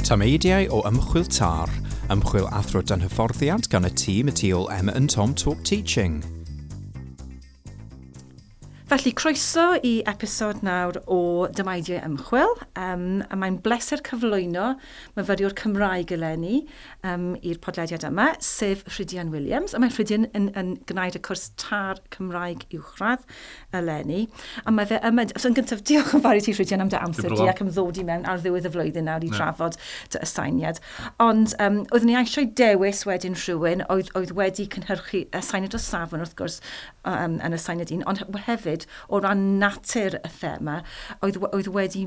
Tameidiau o Ymchwil TAR, ymchwil athro dan hyfforddiant gan y tîm y tu ôl Emma and Tom Talk Teaching. Felly, croeso i episod nawr o Dameidiau Ymchwil. A mae'n bleser cyflwyno myfyriwr Cymraeg eleni i'r podlediad yma, sef Rhydian Williams. A mae Rhydian yn gwneud y cwrs TAR Cymraeg Uwchradd eleni. A mae fe yma... So, yn gyntaf, diolch yn fawr i ti, Rhydian, am dy amser di ac am ddod i mewn ar ddiwedd y flwyddyn nawr i trafod dy aseiniad. Ond oeddwn ni eisiau dewis wedyn rhywun oedd wedi cynhyrchu aseiniad o safon, wrth gwrs, yn aseiniad un, ond hefyd o ran natur y thema, oedd wedi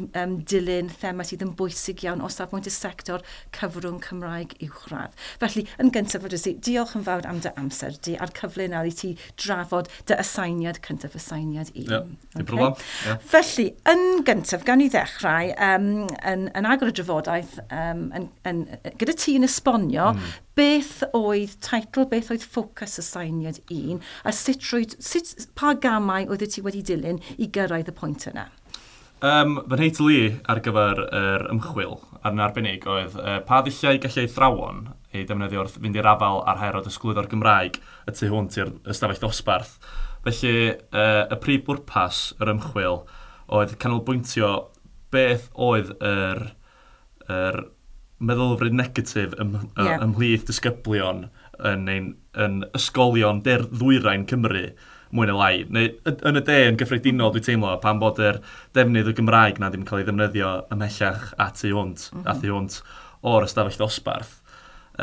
dilyn thema sydd yn bwysig iawn o safbwynt y sector cyfrwng Cymraeg uwchradd. Felly, yn gyntaf, diolch yn fawr am dy amser di a'r cyfle nawr i ti drafod dy aseiniad cyntaf, aseiniad un. Yeah, dim problem. Yeah. Felly, yn gyntaf, gawn ni ddechrau yn agor y drafodaeth gyda ti yn esbonio beth oedd teitl, beth oedd ffocws aseiniad un, a pa gamau oedd ti wedi dilyn i gyrraedd y pwynt yna? Fy nheitl i ar gyfer yr ymchwil ar yn arbennig oedd pa ddulliau gallai athrawon ei defnyddio wrth fynd i'r afael â'r her o drosglwyddo'r Gymraeg y tu hwnt i'r ystafell ddosbarth. Felly, y prif bwrpas yr ymchwil oedd canolbwyntio beth oedd yr meddylfryd negatif ymhlith disgyblion yn ysgolion ddwyrain Cymru, mwy neu lai. Neu yn y de yn gyffredinol, dwi'n teimlo, pan bod yr defnydd o Gymraeg na ddim yn cael ei ddefnyddio ymhellach a tu hwnt, a thu hwnt o'r ystafell ddosbarth.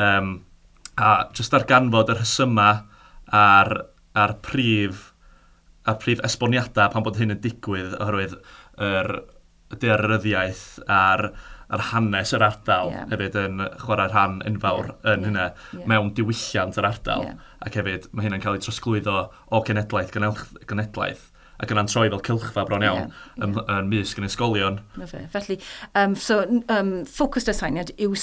A jyst darganfod y rhesymau a'r prif esboniadau pan bod hyn yn digwydd oherwydd yr daearyddiaeth a'r hanes yr ardal hefyd yn chwarae rhan enfawr yn hynna mewn diwylliant yr ardal. Ac hefyd mae hynna'n cael ei trosglwyddo o genedlaeth genedlaeth ac yna'n troi fel cylchfa bron iawn yn mysg yn ysgolion. Felly, ffocws dy aseiniad yw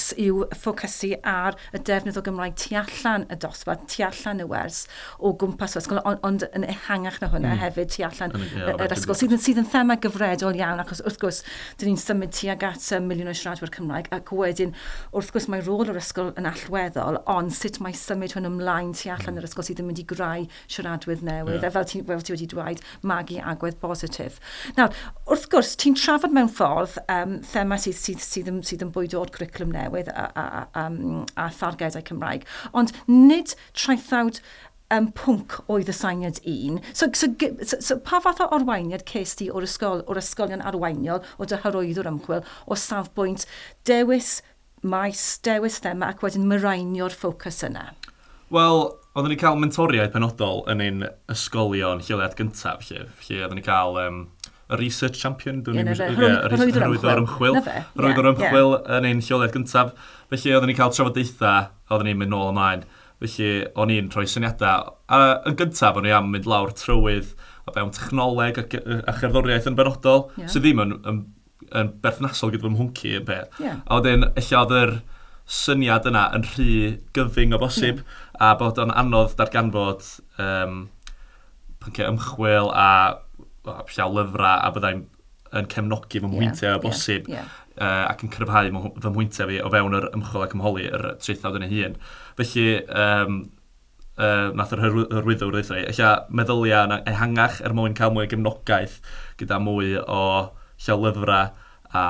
ffocysu ar y defnydd o Gymraeg tu allan y dosbarth, tu allan y wers o gwmpas yr ysgol, ond yn ehangach na hwnna hefyd tu allan yr ysgol, sydd yn thema gyfredol iawn, achos wrth gwrs, dyn ni'n symud tuag at miliwn o siaradwyr Cymraeg, ac wedyn, wrth gwrs, mae rôl yr ysgol yn allweddol, ond sut mae symud hwn ymlaen tu allan yr ysgol sydd yn mynd i greu siaradwyr newydd, a fel ti wedi dweud, magu agwedd positif. Nawr, wrth gwrs, ti'n trafod mewn ffordd thema sydd yn bwydo o'r cwricwlwm newydd a thargedau Cymraeg, ond nid traethawd pwnc oedd aseiniad un. So pa fath o arweiniad ces ti o'r ysgolion arweiniol, o dy hyrwyddwr ymchwil, o safbwynt dewis maes, dewis thema ac wedyn mireinio'r ffocws yna? Wel, oeddwn ni'n cael mentoriaid penodol yn ein ysgolion lleoliad gyntaf, lle oeddwn ni'n cael y research champion, hyrwyddwr ymchwil, hyrwyddwr ymchwil yn ein lleoliad gyntaf. Felly oeddwn ni'n cael trafodaethau, oeddwn ni'n mynd nôl ymlaen. Felly o'n i'n rhoi syniadau. A yn gyntaf, o'n i am mynd lawr trywydd o fewn technoleg a cherddoriaeth yn benodol, sydd ddim yn berthnasol gyda fy mhwnc i yn peth. A wedyn, ella oedd yr syniad yna yn rhy gyfyng o bosib, a bod o'n anodd darganfod pynciau ymchwil a llaw lyfrau a byddai'n yn cefnogi fy mhwyntiau o bosib ac yn cryfhau fy mhwyntiau fi o fewn yr ymchwil ac ymholi yr traethawd yn ei hun. Felly, nath yr hyrwyddwr ddeutha i, ella meddyliau ehangach er mwyn cael mwy o gefnogaeth gyda mwy o llaw lyfrau a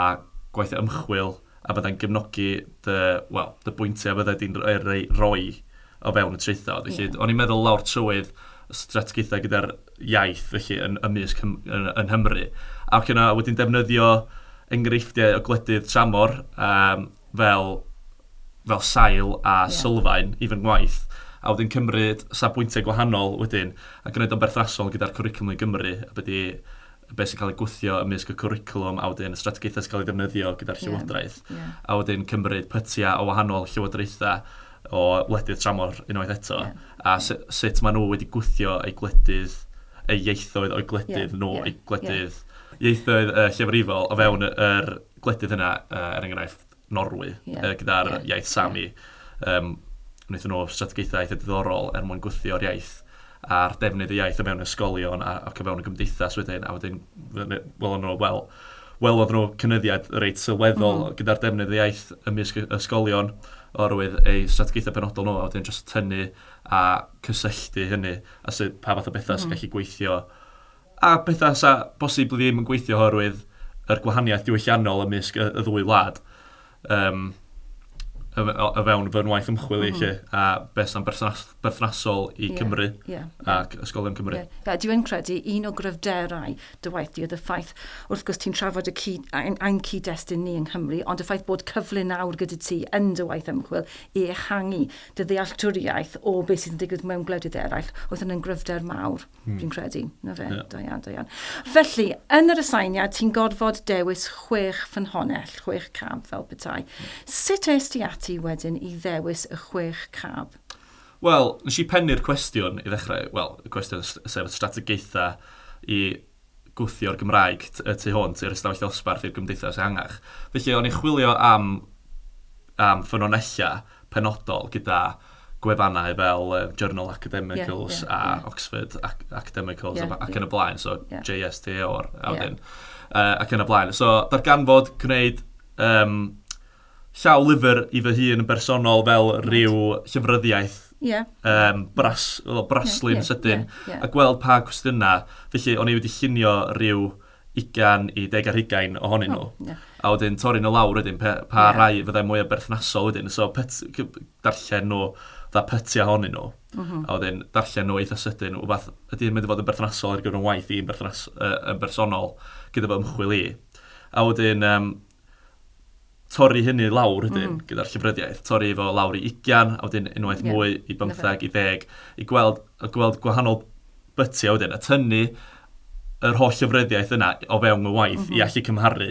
gwaith ymchwil a byddai'n gefnogi dy bwyntiau byddai di'n rhoi o fewn y traethawd. Felly, o'n i'n meddwl lawr trywydd strategaethau gyda'r iaith felly yn ymysg yng Nghymru. Ac yna wedyn defnyddio enghreifftiau o gwledydd tramor fel sail a sylfaen i fy ngwaith. A wedyn cymryd safbwyntiau gwahanol wedyn a gwneud o'n berthnasol gyda'r cwricwlwm i Gymru a byddi beth sy'n cael ei gwthio ymysg y cwricwlwm a wedyn y strategaethau sy'n cael ei ddefnyddio gyda'r llywodraeth. A wedyn cymryd pytiau o wahanol llywodraethau o wledydd tramor unwaith eto. A sut maen nhw wedi gwthio eu gwledydd, eu ieithoedd o'u gwledydd nhw, eu gwledydd ieithoedd llefrifol o fewn yr gwledydd yna, er enghraifft Norwy, gyda'r iaith Sami. Wnaethon nhw strategaethau eitha diddorol er mwyn gwthio'r iaith a'r defnydd y iaith o fewn ysgolion ac o fewn y gymdeithas wedyn, a wedyn, wel, Welodd nhw cynyddiad reit sylweddol gyda'r defnydd iaith ymysg ysgolion oherwydd eu strategaethau penodol nhw, a wedyn jyst tynnu a cysylltu hynny, a sut, pa fath o bethau sy'n gallu gweithio, a bethau sa bosib ddim yn gweithio oherwydd yr gwahaniaeth diwylliannol ymysg y ddwy wlad. O fewn fy ngwaith ymchwil i, lle, a beth sy'n berthnasol i Cymru ac ysgolion Cymru. Yeah. Yeah, dwi'n credu un o gryfderau dy waith di oedd y ffaith, wrth gwrs ti'n trafod ein cyd-destun ni yng Nghymru, ond y ffaith bod cyfle nawr gyda ti yn dy waith ymchwil i ehangu dy ddealltwriaeth o beth sydd yn digwydd mewn gwledydd eraill, oedd hynny'n gryfder mawr, dwi'n credu. Na fe, da iawn, da iawn. Felly, yn yr aseiniad, ti'n gorfod dewis 6 ffynhonnell, 6 cab fel petai. Sut es ti ati wedyn i ddewis y 6 cab? Wel, nes i pennu'r cwestiwn i ddechrau, wel, y cwestiwn sef y strategaethau i gwthio'r Gymraeg y tu hwnt i'r ystafell ddosbarth i'r gymdeithas ehangach. Felly, o'n i'n chwilio am ffynonellau penodol gyda gwefannau fel Journal Academicals a Oxford Academicals ac yn y blaen, so JSTOR a wedyn, ac yn y blaen. So, darganfod gwneud llaw lyfr i fy hun yn bersonol fel rhyw llyfryddiaeth braslun sydyn a gweld pa cwestiynau. Felly, o'n i wedi llunio rhyw 20 i 20 ohonyn nhw. A wedyn torri nhw lawr wedyn, pa rai fyddai mwy o berthnasol wedyn. So, darllen nhw, dda pytiau ohonyn nhw. A wedyn darllen nhw eitha sydyn, wbath ydy'n mynd i fod yn berthnasol ar gyfer yn waith i'n yn bersonol gyda fy ymchwil i. A wedyn torri hynny lawr wedyn gyda'r llyfryddiaeth, torri fo lawr i 20, a wedyn unwaith mwy i 15, i 10, i gweld gwahanol bytiau wedyn, a tynnu yr holl llyfryddiaeth yna o fewn y waith i allu cymharu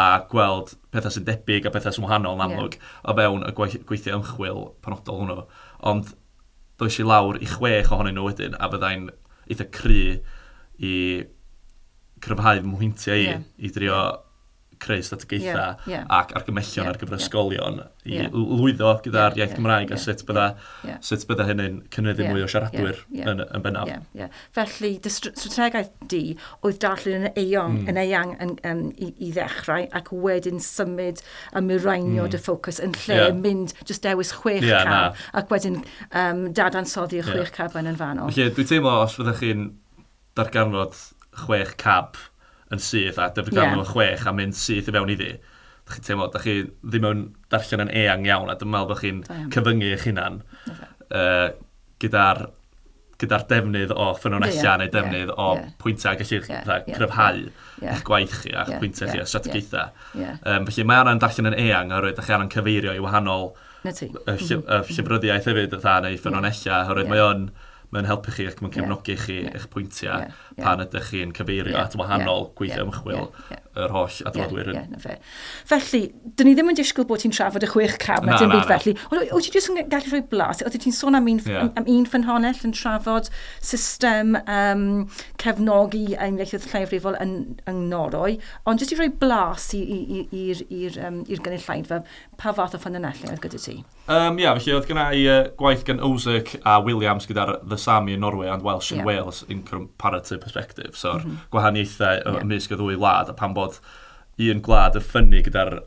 a gweld pethau sy'n debyg a pethau sy'n wahanol yn amlwg o fewn y gweithiau ymchwil penodol hwnnw. Ond does i lawr i 6 ohonyn nhw wedyn, a byddai'n eitha cry i cryfhau fy mhwyntiau i, i drio creu strategaethau ac argymellion ar gyfer ysgolion i lwyddo gyda'r iaith Gymraeg a sut bydda hynny'n cynyddu mwy o siaradwyr yn bennaf. Felly, dy strategaeth di oedd darllen yn eang, yn eang i ddechrau ac wedyn symud a mireinio dy ffocws yn lle mynd jyst dewis 6 cab ac wedyn dadansoddi y 6 cab yn fanol. Felly, dwi'n teimlo os fyddech chi'n darganfod 6 cab yn syth a darganfod 6 a mynd syth i fewn iddi, dach chi'n teimlo, dach chi ddim yn darllen yn eang iawn, a dwi'n meddwl bod chi'n cyfyngu eich hunan, gyda'r defnydd o ffynonellau neu defnydd o pwyntiau gallu cryfhau eich gwaith chi a'ch pwyntiau chi a strategaethau. Felly mae angen darllen yn eang, oherwydd dach chi angen cyfeirio i wahanol Na ti. Y llyfryddiaeth hefyd, fatha, neu ffynonellau, oherwydd mae'n helpu chi ac mae'n cefnogi chi eich pwyntiau pan ydych chi'n cyfeirio at wahanol gweithio ymchwil yr holl adroddwyr. Na fe. Felly, dyn ni ddim yn disgwyl bod ti'n trafod y 6 cab na Na, dim na, byd na. felly. Ond wyt ti jyst yn gallu rhoi blas? Oeddet ti'n sôn am un ffynhonnell yn trafod system cefnogi ein ieithoedd lleiafrifol yng Norwy, ond jyst i rhoi blas i'r gynulleidfa, pa fath o ffynhonnellau oedd gyda ti? Ie, felly oedd gynna i gwaith gan Ozerk a Williams gyda'r The Sami in Norway and Welsh in Wales in Comparative Perspective. So'r gwahaniaethau ymysg y ddwy wlad, a pan bod un gwlad yn ffynnu gyda'r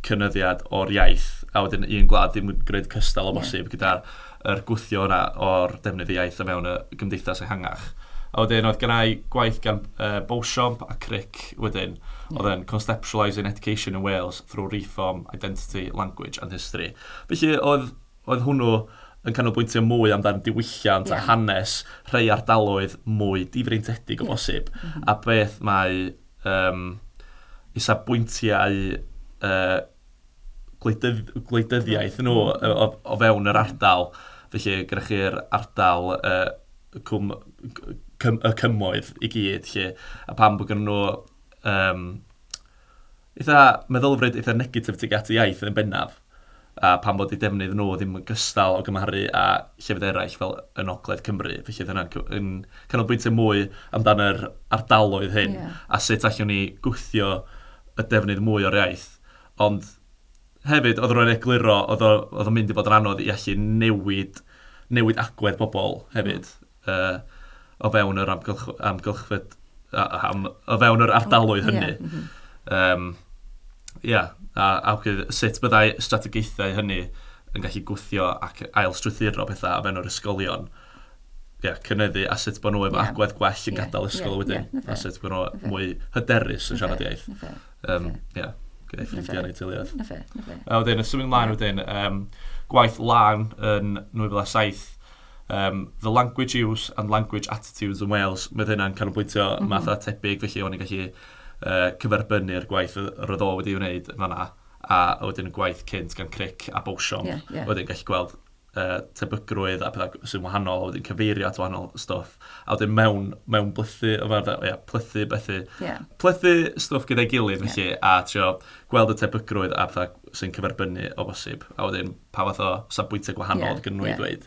cynyddiad o'r iaith, a wedyn un gwlad ddim yn gwneud cystal o bosib gyda'r yr gwthio yna o'r defnydd iaith o fewn y gymdeithas ehangach. A wedyn oedd gynna i gwaith gan Beauchamp a Crick wedyn, oedd yn Conceptualising Education in Wales through Reform, Identity, Language and History. Felly oedd hwnnw yn canolbwyntio mwy amdan diwylliant a hanes rhai ardaloedd mwy difreintiedig o bosib. A beth mae isafbwyntiau gwleidyddiaeth nhw o fewn yr ardal. Felly gyda chi'r ardal y cymoedd i gyd, lle, a pam bod gynnon nhw eitha meddylfryd eitha negatif tuag at y iaith yn bennaf, a pam bod eu defnydd nhw ddim yn gystal o gymharu â llefydd eraill fel yn Ogledd Cymru. Felly oedd hynna'n yn canolbwyntio mwy amdan yr ardaloedd hyn, a sut allwn ni gwthio y defnydd mwy o'r iaith. Ond hefyd, oedd rwy'n egluro, oedd o'n mynd i fod yn anodd i allu newid agwedd bobl hefyd, o fewn yr amgylchfyd, o fewn yr ardaloedd hynny. A sut byddai strategaethau hynny yn gallu gwthio ac ail-strwythuro pethau o fewn o'r ysgolion. Cynyddu a sut bod nhw efo agwedd gwell yn gadael ysgol wedyn. A sut bod nhw mwy hyderus yn siarad iaith. Gyda'i ffrindiau neu teuluoedd. A wedyn, symud ymlaen wedyn, gwaith Lan yn 2007, The Language Use and Language Attitudes in Wales. Mae hynna'n canolbwyntio math o tebyg, felly o'n i'n gallu cyferbynnu'r gwaith yr oedd o wedi wneud yn fanna, a wedyn y gwaith cynt gan Crick a Beauchamp. Wedyn gallu gweld tebygrwydd a pethau sy'n wahanol, a wedyn cyfeirio at wahanol stwff. A wedyn mewn blythu, plythu bethu. Plythu stwff gyda'i gilydd, felly, a trio gweld y tebygrwydd a pethau sy'n cyferbynnu o bosib. A wedyn pa fath o safbwyntiau gwahanol oedd gen nhw i ddweud.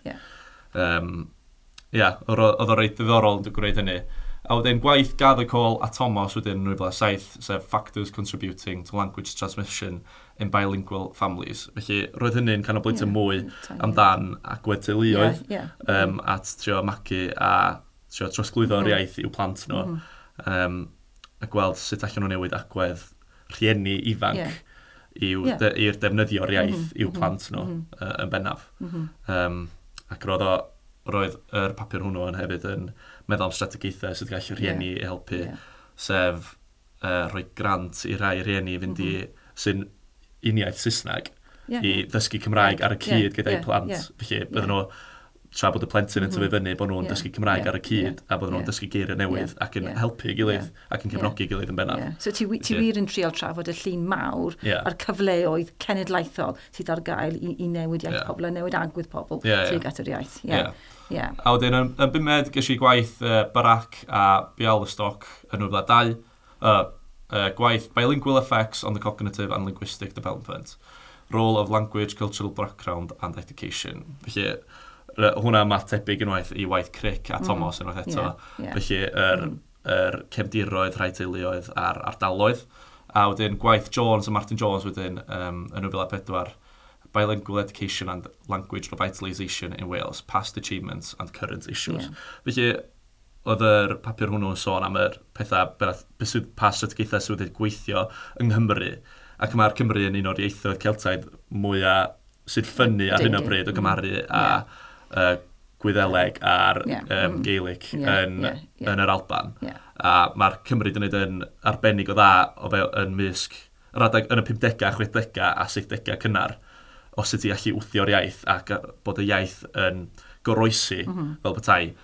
Oedd o reit ddiddorol yn gwneud hynny. A wedyn gwaith Gathercole a Thomas wedyn yn 2007, sef Factors Contributing to Language Transmission in Bilingual Families. Felly roedd hynny'n canolbwyntio mwy amdan agwedd teuluoedd at trio magu a trio trosglwyddo'r iaith i'w plant nhw. A gweld sut allan nhw newid agwedd rhieni ifanc i'r defnyddio'r iaith i'w plant nhw yn bennaf. Ac roedd yr papur hwnnw yn hefyd yn meddwl am strategaethau sydd gallu rhieni i helpu, sef rhoi grant i rai rhieni fynd i sy'n uniaith Saesneg i ddysgu Cymraeg ar y cyd gyda'i plant. Felly bydden nhw, tra bod y plentyn yn tyfu fyny, bod nhw'n dysgu Cymraeg ar y cyd a bod nhw'n dysgu geiriau newydd ac yn helpu gilydd ac yn cefnogi gilydd yn bennaf. So ti wir yn trial trafod y llun mawr a'r cyfleoedd cenedlaethol sydd ar gael i newid iaith pobl a newid agwedd pobl tuag at yr iaith. A wedyn yn bumed ges i gwaith Barak a Bialystok yn 2002, gwaith Bilingual Effects on the Cognitive and Linguistic Development, Role of Language, Cultural Background and Education. Felly hwnna math tebyg unwaith i waith Crick a Thomas unwaith eto. Felly yr cefndiroedd, rhai teuluoedd a'r ardaloedd. A wedyn gwaith Jones a Martin Jones wedyn yn 2004, Bilingual Education and Language Revitalisation in Wales, Past Achievements and Current Issues. Felly oedd yr papur hwnnw yn sôn am yr pethau, pa strategaethau sydd wedi gweithio yng Nghymru. Ac mae'r Cymru yn un o'r ieithoedd Celtaidd mwyaf sy'n ffynnu ar hyn o bryd o gymharu a Gwyddeleg a'r Gaelic yn yr Alban. A mae'r Cymru wedi gwneud yn arbennig o dda o fe yn mysg yr adeg yn y 50au, 60au a 70au cynnar o sut i allu wthio'r iaith ac bod y iaith yn goroesi fel petai.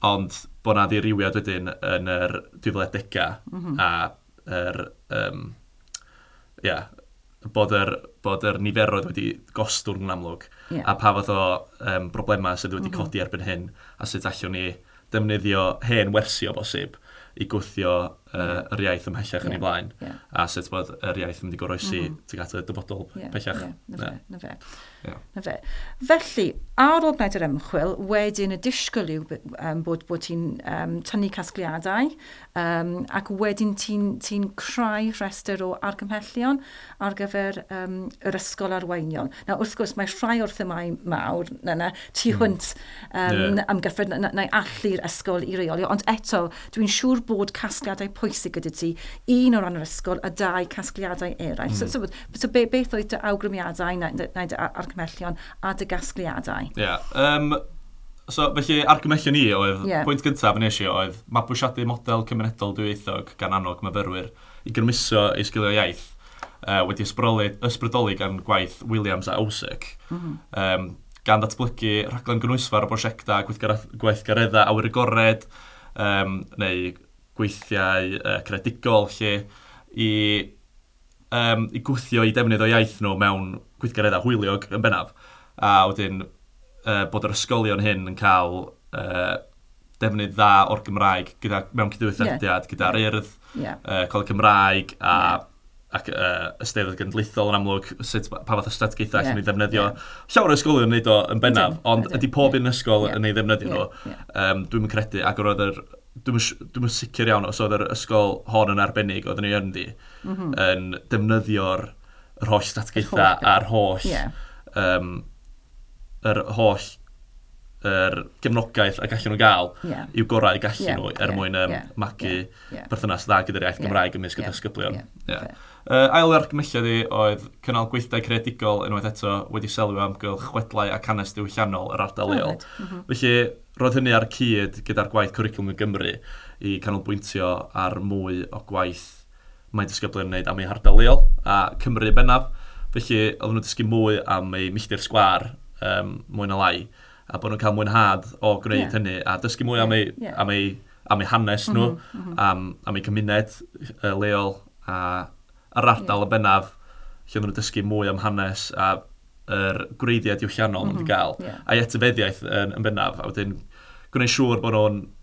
Ond bod 'na ddirywiad wedyn yn yr 2010au a yr, bod yr niferoedd wedi gostwng yn amlwg a pa fath o broblemau sydd wedi codi erbyn hyn a sut allwn ni defnyddio hen wersi o bosib i gwthio yr iaith ymhellach yn ei blaen a sut bod yr iaith yn mynd i goroesi tuag at y dyfodol pellach. Na fe. Na fe. Felly, ar ôl gwneud yr ymchwil, wedyn y disgwyl yw bod ti'n tynnu casgliadau ac wedyn ti'n creu rhestr o argymhellion ar gyfer yr ysgol arweiniol. Nawr, wrth gwrs, mae rhai o'r themâu mawr na, tu hwnt amgyffred na allu'r ysgol i reoli, ond eto, dwi'n siŵr bod casgliadau pwysig gyda ti, un o ran yr ysgol a dau casgliadau eraill. So beth oedd dy awgrymiadau neu dy argymhellion a dy gasgliadau? Ie. So, felly, argymhellion i oedd, pwynt gyntaf yn eisiau oedd mabwysiadu model cymunedol dwyieithog gan annog myfyrwyr i grymuso eu sgiliau iaith, wedi ysbrydoli gan gwaith Williams a Osiek, gan ddatblygu rhaglen gynhwysfawr o brosiectau gweithgareddau awyr agored, neu gweithiau creadigol lle i gwthio i defnydd o iaith nhw mewn gweithgareddau hwyliog yn bennaf. A wedyn bod yr ysgolion hyn yn cael defnydd dda o'r Gymraeg mewn cydweithrediad gyda'r Urdd, Coleg Cymraeg a ac Eisteddfod Genedlaethol yn amlwg, sut, pa fath o strategaethau allan ni ddefnyddio. Llawer o ysgolion yn neud o yn bennaf, ond ydy pob un ysgol yn ei ddefnyddio nhw. Dwi'm yn credu, ac roedd yr, dwi'm yn sicr iawn os oedd yr ysgol hon yn arbennig oedden ni ynddi, yn defnyddio'r yr holl strategaethau Yr holl a'r holl, beth. Yr holl yr gefnogaeth a gallu nhw gael i'w gorau gallu nhw er mwyn magu perthynas dda gyda'r iaith Gymraeg ymysg y disgyblion. Ail argymhelliad i oedd cynnal gweithdai creadigol unwaith eto wedi selio amgylch chwedlau ac hanes diwylliannol yr ardal leol. Felly, roedd hynny ar y cyd gyda'r gwaith Cwricwlwm i Gymru i canolbwyntio ar mwy o gwaith mae disgyblion yn wneud am eu hardal leol a Cymru bennaf. Felly, oedden nhw'n dysgu mwy am eu milltir sgwâr, mwy na lai, a bod nhw'n cael mwynhad o gwneud hynny a dysgu mwy am eu hanes nhw, am eu cymuned leol a yr ardal yn bennaf, lle oedden nhw'n dysgu mwy am hanes a yr gwreiddiau diwylliannol maen nhw wedi gael, a'i etifeddiaeth yn bennaf, a wedyn gwneud siŵr bod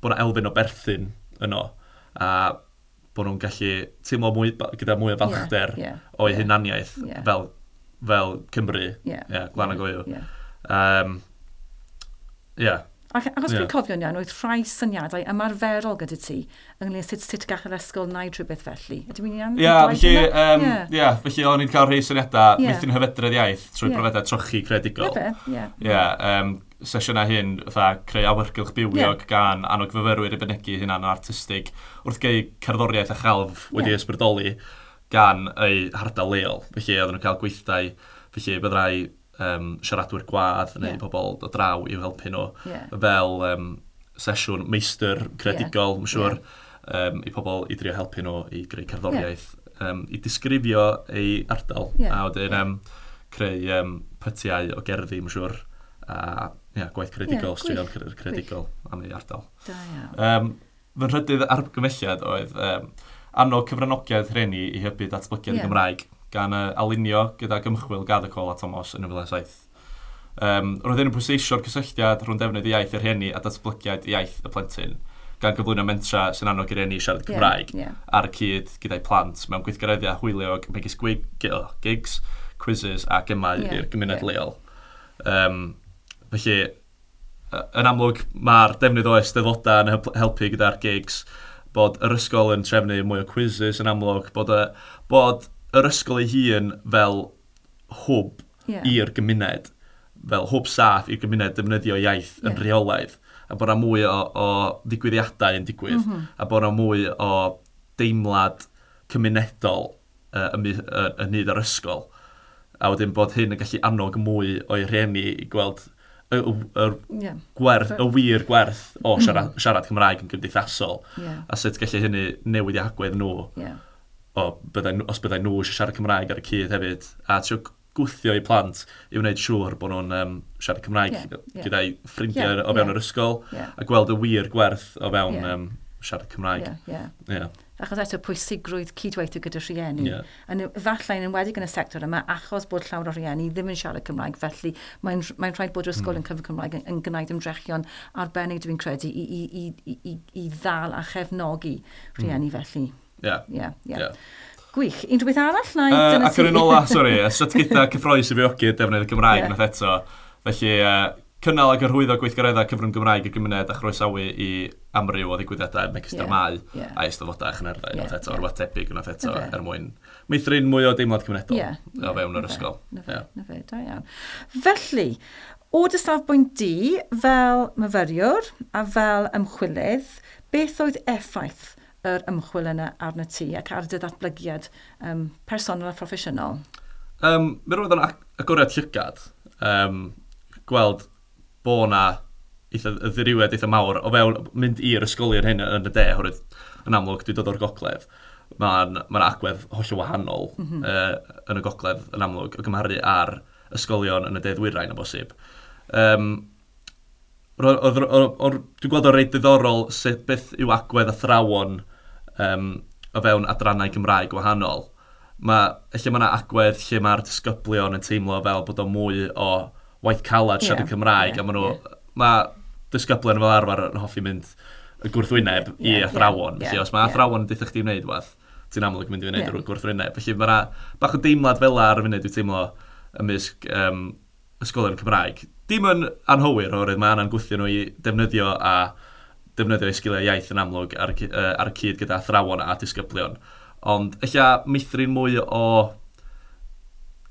'na elfen o berthyn yno, a bod nhw'n gallu teimlo mwy, gyda mwy o falchder o'u hunaniaeth fel Cymru, Glan ag Oyw. Ac os dwi'n cofio'n iawn, oedd rhai syniadau ymarferol gyda ti ynglyn â sut gall yr ysgol wneud rhywbeth felly. Ydw i'n iawn? Ie, felly o'n i'n cael rhai syniadau meithrin hyfedredd iaith trwy brofiadau trochi creadigol. Sesiynau hyn, fatha creu awyrgylch bywiog gan annog fyfyrwyr i fynegi hunan yn artistig wrth geu cerddoriaeth a chelf wedi ysbrydoli gan eu hardal leol. Felly oedden nhw'n cael gweithdai, felly byddai siaradwyr gwadd neu pobl o draw i'w helpu nhw fel sesiwn meistr creadigol, mae'n siŵr, i pobl i drio helpu nhw i greu cerddoriaeth, i disgrifio eu ardal, a wedyn creu pytiau o gerddi, mae'n siŵr, a gwaith creadigol, straeon creadigol am ei ardal. Fy nhrydydd argymhelliad oedd annog cyfranogiad rhieni i hybu datblygiad y Gymraeg, gan alinio gydag ymchwil Gathercole a Thomas yn 2007. Roedd hyn yn pwysleisio'r cysylltiad rhwng defnydd iaith y rhieni a datblygiad iaith y plentyn, gan gyflwyno mentra sy'n annog i rieni siarad Cymraeg ar y cyd gyda'i plant mewn gweithgareddau hwyliog megis gigs, quizzes a gemau i'r gymuned leol. Felly, yn amlwg, mae'r defnydd o eisteddfodau yn helpu gyda'r gigs, bod yr ysgol yn trefnu mwy o quizzes yn amlwg, bod yr ysgol ei hun fel hwb i'r gymuned, fel hwb saff i'r gymuned defnyddio iaith yn rheolaidd, a bod 'na mwy o ddigwyddiadau yn digwydd, a bod 'na mwy o deimlad cymunedol yn hyd yr ysgol, a wedyn bod hyn yn gallu annog mwy o'i rhieni i gweld y gwerth, y wir gwerth o siarad Cymraeg yn gymdeithasol, a sut gallu hynny newid eu hagwedd nhw. Os byddai nhw eisiau siarad Cymraeg ar y cyd hefyd, a trio gwthio eu plant i wneud siŵr bod nhw'n siarad Cymraeg gyda'i ffrindiau o fewn yr ysgol, a gweld y wir gwerth o fewn siarad Cymraeg. Achos eto pwysigrwydd cydweithio gyda rhieni. Efallai yn enwedig yn y sector yma, achos bod llawer o rhieni ddim yn siarad Cymraeg, felly mae'n rhaid bod yr ysgol yn cyfrwng Cymraeg yn gwneud ymdrechion arbennig, dwi'n credu, i ddal a chefnogi rhieni felly. Gwych. Unrhyw beth arall? Ac yr un ola, sori, strategaethau cyffrous i fywiogi defnydd y Gymraeg nath eto. Felly, cynnal ac hyrwyddo gweithgareddau cyfrwng Gymraeg i'r gymuned a chroesawu i amryw o ddigwyddiadau megis dramâu a eisteddfodau a chyngherddau unwaith eto, rhywbeth tebyg unwaith eto, er mwyn meithrin mwy o deimlad cymunedol o fewn yr ysgol. Na fe, da iawn. Felly, o dy safbwynt di fel myfyriwr a fel ymchwilydd, beth oedd effaith yr ymchwil yna arno ti ac ar dy ddatblygiad personol a phroffesiynol? Mi roedd o'n agoriad llygad, gweld bo' 'na eitha, y ddirywiad eitha mawr o fewn mynd i'r ysgolion hyn yn y de, oherwydd yn amlwg dwi'n dod o'r gogledd, mae'n ma agwedd hollol wahanol yn y gogledd yn amlwg o gymharu ar ysgolion yn y de ddwyrain o bosib. Dwi'n gweld o'n reit diddorol sut beth yw agwedd athrawon o fewn adrannau Cymraeg gwahanol. Lle mae yna agwedd lle mae'r disgyblion yn teimlo fel bod o mwy o waith calad siarad Cymraeg, a maen nhw, mae disgyblion fel arfer yn hoffi mynd y gwrthwyneb i athrawon. Felly os mae athrawon yn deutha chdi wneud rhywbeth, ti'n amlwg yn mynd i wneud yr gwrthwyneb. Felly mae yna bach o deimlad fel ar y funud dwi'n teimlo ymysg ysgolion Cymraeg. Dim yn anghywir, oherwydd mae yna'n gwthio nhw i defnyddio eu sgiliau iaith yn amlwg ar y cyd gyda athrawon a disgyblion. Ond ella meithrin mwy o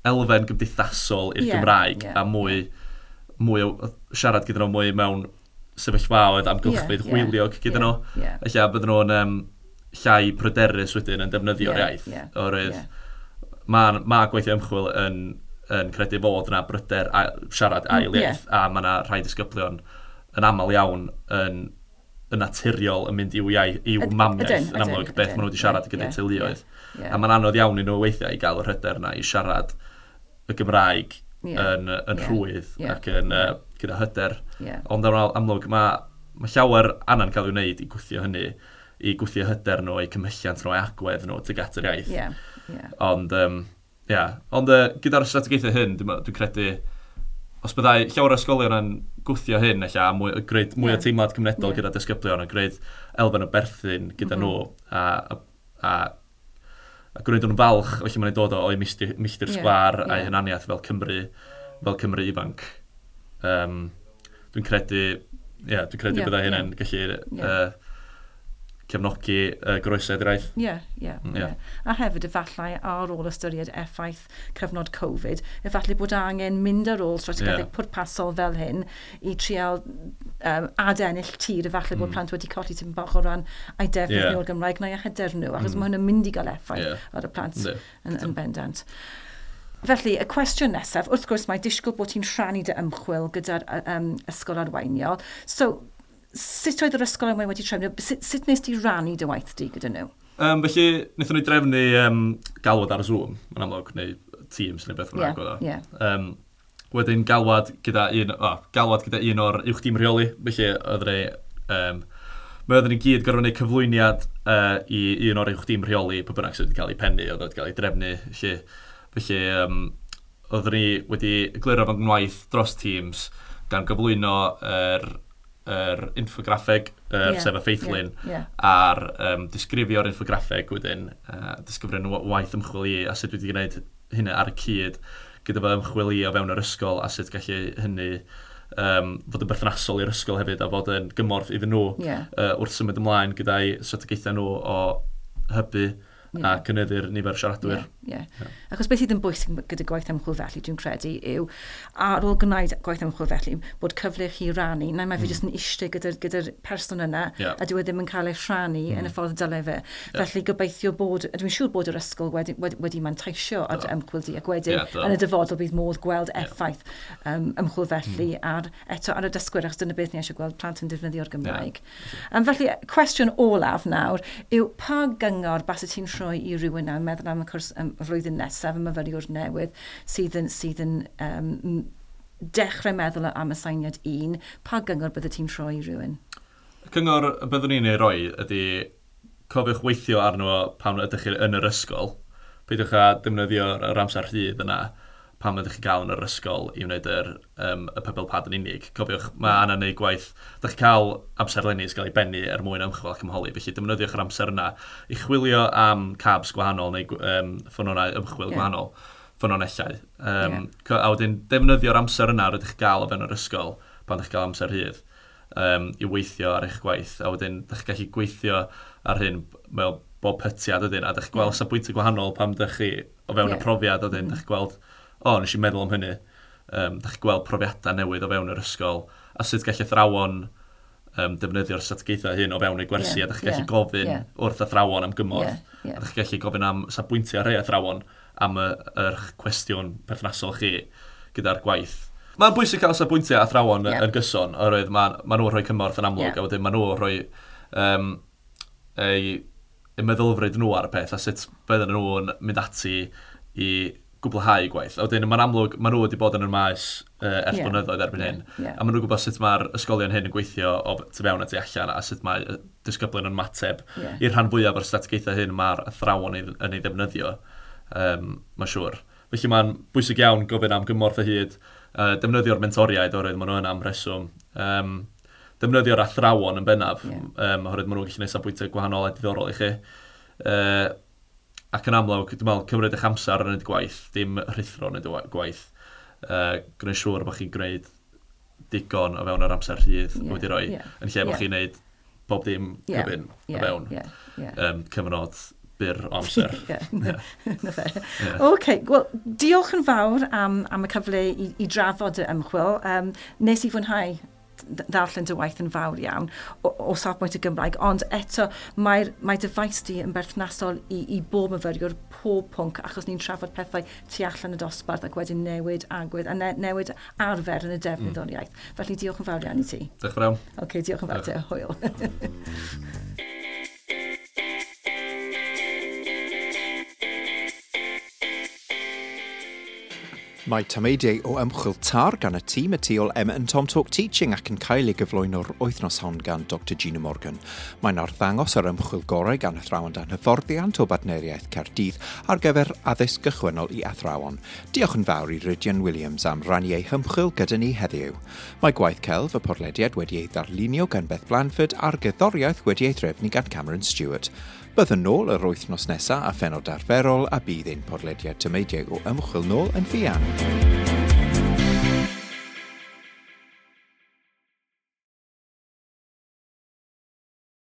elfen gymdeithasol i'r Gymraeg a mwy mwy o siarad gyda nhw mwy mewn sefyllfaoedd amgylchfyd hwyliog gyda nhw. Ella bydden nhw'n llai pryderus wedyn yn defnyddio'r iaith. Oherwydd mae gweithio ymchwil yn credu fod yna bryder a siarad ail iaith, a mae yna rhai disgyblion yn aml iawn yn naturiol yn mynd i'w iaith, i'w mamiaith, yn amlwg, beth maen nhw wedi siarad gyda'i teuluoedd. A mae'n anodd iawn i nhw weithiau i gael yr hyder yna i siarad y Gymraeg yn rhwydd ac yn gyda hyder. Ond yn amlwg, mae llawer anna'n cael ei wneud i gwthio hynny, i gwthio hyder nhw, eu cymhelliant nhw, eu agwedd nhw tuag at yr iaith. Ond, ond gyda'r strategaethau hyn, dwi'n credu, os byddai llawer o ysgolion yn gwthio hyn, ella, mwy, gwneud mwy o teimlad cymunedol gyda disgyblion, a gwneud elfen o berthyn gyda nhw, a gwneud nhw'n falch, felly mae'n dod o'i milltir sgwâr a'i hunaniaeth fel Cymru ifanc. Dwi'n credu, dwi'n credu byddai hynny'n gallu cefnogi goroesedd yr iaith. Ie. A hefyd efallai ar ôl ystyried effaith cyfnod Covid, efallai bod angen mynd ar ôl strategaethau pwrpasol fel hyn i trial adennill tir, efallai bod plant wedi colli tipyn bach o ran eu defnydd nhw o'r Gymraeg neu hyder nhw, achos mae hwn yn mynd i gael effaith ar y plant yn bendant. Felly, y cwestiwn nesaf, wrth gwrs mae disgwyl bod ti'n rhannu dy ymchwil gyda'r ysgol arweiniol. So, sut oedd yr ysgol arweiniol wedi trefnu? Sut nes ti rannu dy waith di gyda nhw? Felly, wnaethon ni drefnu galwad ar Zoom, yn amlwg, neu Teams neu beth bynnag oedd o. Wedyn galwad gyda un o'r uwch dîm rheoli, felly oedden ni, mae oedden ni gyd gorfod gwneud cyflwyniad i un o'r uwch dîm rheoli, pwy bynnag sydd wedi cael ei pennu, oedd wedi cael ei drefnu, felly oedden ni wedi egluro fy ngwaith dros Teams gan gyflwyno yr infograffeg, sef y ffeithlun, a'r disgrifio'r infograffeg wedyn, disgrifio'r waith ymchwil i, a sut wedi gwneud hynny ar y cyd gyda fy ymchwil i o fewn yr ysgol, a sut gallu hynny fod yn berthnasol i'r ysgol hefyd, a fod yn gymorth iddyn nhw wrth symud ymlaen gyda'i strategaethau nhw o hybu a cynyddu'r nifer siaradwyr. Achos beth sydd yn bwysig gyda gwaith ymchwil felly, dwi'n credu, yw ar ôl gwneud gwaith ymchwil felly, bod cyfle chi rannu, neu mae fe jyst yn eistedd gyda'r person yna, a dyw e ddim yn cael ei rhannu yn y ffordd dylai fe. Felly gobeithio bod, dwi'n siŵr bod yr ysgol wedi manteisio ar ymchwil di, ac wedyn yn y dyfodol bydd modd gweld effaith ymchwil felly ar y dysgwyr, achos dyna beth ni eisiau gweld plant yn defnyddio'r Gymraeg. Felly, cwestiwn olaf nawr yw pa gyngor baset ti'n rhoi i rywun nawr, meddwl am y cwrs y flwyddyn nesaf, y myfyriwr newydd sydd yn dechrau meddwl am aseiniad 1, pa gyngor bydde ti'n rhoi i rywun? Y cyngor y byddwn ni'n ei roi ydy cofiwch weithio arno pan ydych chi yn yr ysgol. Peidiwch â defnyddio'r amser rhydd yna pan ydych chi'n gael yn yr ysgol i wneud y pebble pad yn unig. Cofiwch, mae anna wneud gwaith, ydych chi'n cael amserlenni sy'n cael ei bennu er mwyn ymchwil ac ymholi, felly defnyddiwch yr amser yna i chwilio am cabs gwahanol neu ffynhonnau ymchwil gwahanol, ffynhonellau. A wedyn defnyddio'r amser yna rydych chi'n gael o fewn yr ysgol pan ydych chi'n cael amser rhydd i weithio ar eich gwaith. A wedyn ydych chi'n gallu gweithio ar hyn mewn bob pytiad wedyn, a ydych chi'n gweld safbwyntiau gwahanol pan ydych chi o fewn y profiad wedyn, ydych chi'n gweld nes i meddwl am hynny. Dach chi'n gweld profiadau newydd o fewn yr ysgol, a sut gall athrawon defnyddio'r strategaethau hyn o fewn eu gwersi, a dach chi'n gallu gofyn wrth athrawon am gymorth, a dach chi'n gallu gofyn am safbwyntiau rhai athrawon am yr cwestiwn perthnasol chi gyda'r gwaith. Mae'n bwysig cael safbwyntiau athrawon yn gyson, oherwydd ma nhw'n rhoi cymorth yn amlwg, a wedyn ma nhw'n rhoi eu meddylfryd nhw ar y peth, a sut bydden nhw'n mynd ati i gwblhau gwaith. A wedyn, mae'n amlwg, maen nhw wedi bod yn y maes ers blynyddoedd erbyn hyn. A maen nhw'n gwybod sut mae'r ysgolion hyn yn gweithio o tu fewn a tu allan, a sut mae disgyblion yn ymateb i'r rhan fwyaf o'r strategaethau hyn mae'r athrawon yn ei ddefnyddio, mae'n siŵr. Felly mae'n bwysig iawn gofyn am gymorth o hyd, defnyddio'r mentoriaid oherwydd maen nhw yna am reswm. Defnyddio'r athrawon yn bennaf, oherwydd maen nhw'n gallu gwneud safbwyntiau gwahanol a diddorol i chi. Ac yn amlwg, dwi'n meddwl, cymryd eich amser yn gwneud gwaith, dim rhuthro yn gwneud gwaith. Gwneud siŵr bod chi'n gwneud digon o fewn yr amser rhydd wedi rhoi, yn lle bod chi'n gwneud bob dim cyfun o fewn cyfnod byr o amser. Ie, na fe. OK, wel, diolch yn fawr am y cyfle i drafod y ymchwil. Nes i fwynhau ddarllen dy waith yn fawr iawn o safbwynt y Gymraeg, ond eto mae dy faes di yn berthnasol i bob myfyriwr, pob pwnc, achos ni'n trafod pethau tu allan y dosbarth ac wedyn newid agwedd a newid arfer yn y defnydd o'r iaith. Felly diolch yn fawr iawn i ti. Diolch yn fawr iawn. OK, diolch yn fawr te. Hwyl. Mae tameidiau o ymchwil TAR gan y tîm y tu ôl Emma and Tom Talk Teaching ac yn cael ei gyflwyno'r wythnos hon gan Dr Gina Morgan. Mae'n arddangos yr ymchwil gorau gan athrawon dan hyfforddiant o Bartneriaeth Caerdydd ar gyfer addysg gychwynnol i athrawon. Diolch yn fawr i Rhydian Williams am rannu ei hymchwil gyda ni heddiw. Mae gwaith celf y podlediad wedi ei ddarlunio gan Beth Blanford a'r gerddoriaeth wedi ei threfnu gan Cameron Stewart. Byddwn nôl yr wythnos nesaf a phenod arferol a bydd ein podlediad tameidiau o ymchwil nôl yn fuan.